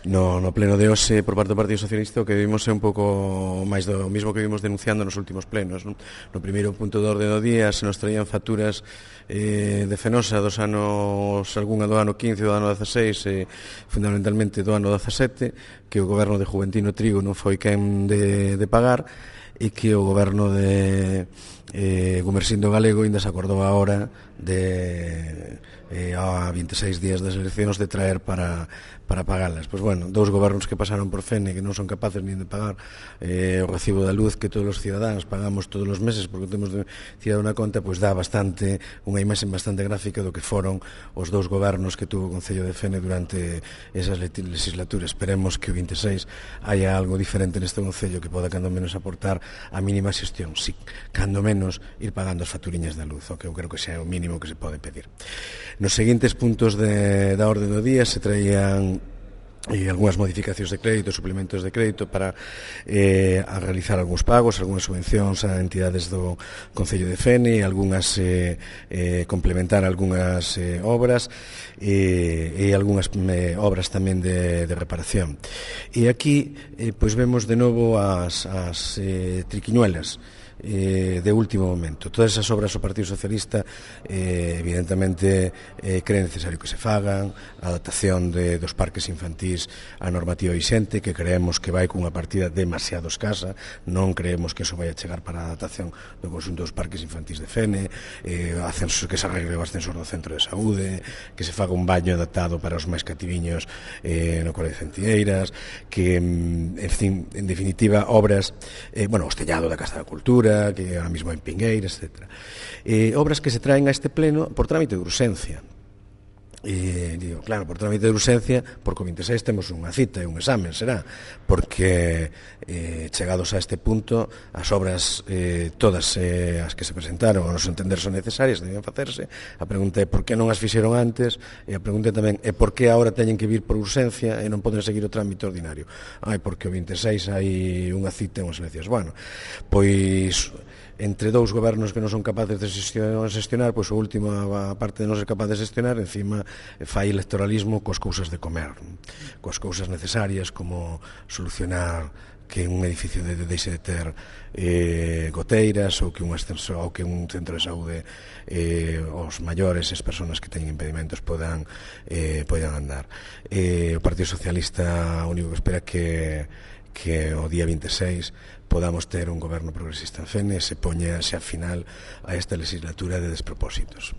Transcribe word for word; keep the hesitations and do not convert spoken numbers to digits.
No, no pleno de hoxe, por parte do Partido Socialista, o que vimos é un pouco máis do mismo que vimos denunciando nos últimos plenos. Non? No primeiro punto do orde do día se nos traían facturas eh, de Fenosa dos anos, algunha do ano quince, do ano dezasseis e fundamentalmente do ano dezasete, que o goberno de Juventino Trigo non foi quen de, de pagar, e que o goberno de eh, Gumersindo Galego ainda se acordou agora de eh, a vinte e seis días das eleccións de traer para, para pagalas. Pois bueno, dous gobernos que pasaron por Fene que non son capaces nin de pagar eh, o recibo da luz que todos os cidadáns pagamos todos os meses porque temos de cidadá unha conta, pois dá bastante unha imaxe bastante gráfica do que foron os dous gobernos que tuvo o Concello de Fene durante esas legislaturas. Esperemos que o vinte e seis haya algo diferente neste Concello que poda cando menos aportar a mínima xestión, si, cando menos ir pagando as facturiñas da luz, o que eu creo que xa é o mínimo que se pode pedir. Nos seguintes puntos de, da orde do día se traían e algunhas modificacións de crédito, suplementos de crédito para eh, a realizar algúns pagos, algunhas subvencións a entidades do Concello de Fene, algunhas eh, eh, complementar algunhas eh, obras e, e algunhas eh, obras tamén de, de reparación. E aquí eh, pois vemos de novo as, as eh, triquiñuelas Eh, de último momento. Todas esas obras o Partido Socialista eh, evidentemente eh, cree necesario que se fagan, a adaptación de, dos parques infantís á normativa vixente, que creemos que vai cunha partida demasiado escasa, non creemos que eso vai a chegar para a adaptación do conxunto dos parques infantís de Fene, eh, ascenso, que se arregle o ascensor do centro de saúde, que se faga un baño adaptado para os máis cativiños eh, no Cole de Centieiras, que en, fin, en definitiva obras, eh, bueno, o Estellado da Casa da Cultura, que ahora mismo en Pingueiras, etcétera. Eh, obras que se traen a este pleno por trámite de urxencia. E, digo, claro, por trámite de urxencia, porque o vinte e seis temos unha cita e un examen, será, porque eh, chegados a este punto, as obras eh, todas eh, as que se presentaron, a nos entender son necesarias, deben facerse. A pregunta é por que non as fixeron antes, e a pregunta tamén é por que agora teñen que vir por urxencia e non poden seguir o trámite ordinario. Ai, porque o vinte e seis hai unha cita e unhas eleccións. Bueno, pois entre dous gobernos que non son capaces de xestionar, pois o último, a parte de non ser capaz de xestionar, encima fai electoralismo coas cousas de comer, coas cousas necesarias como solucionar que un edificio de, de deixe de ter eh, goteiras ou que un ascensor ou que un centro de saúde eh, os maiores, as persoas que teñen impedimentos podan, eh, podan andar. Eh, o Partido Socialista o único que espera que que o día vinte e seis podamos ter un goberno progresista en Fene e se poña xa final a esta legislatura de despropósitos.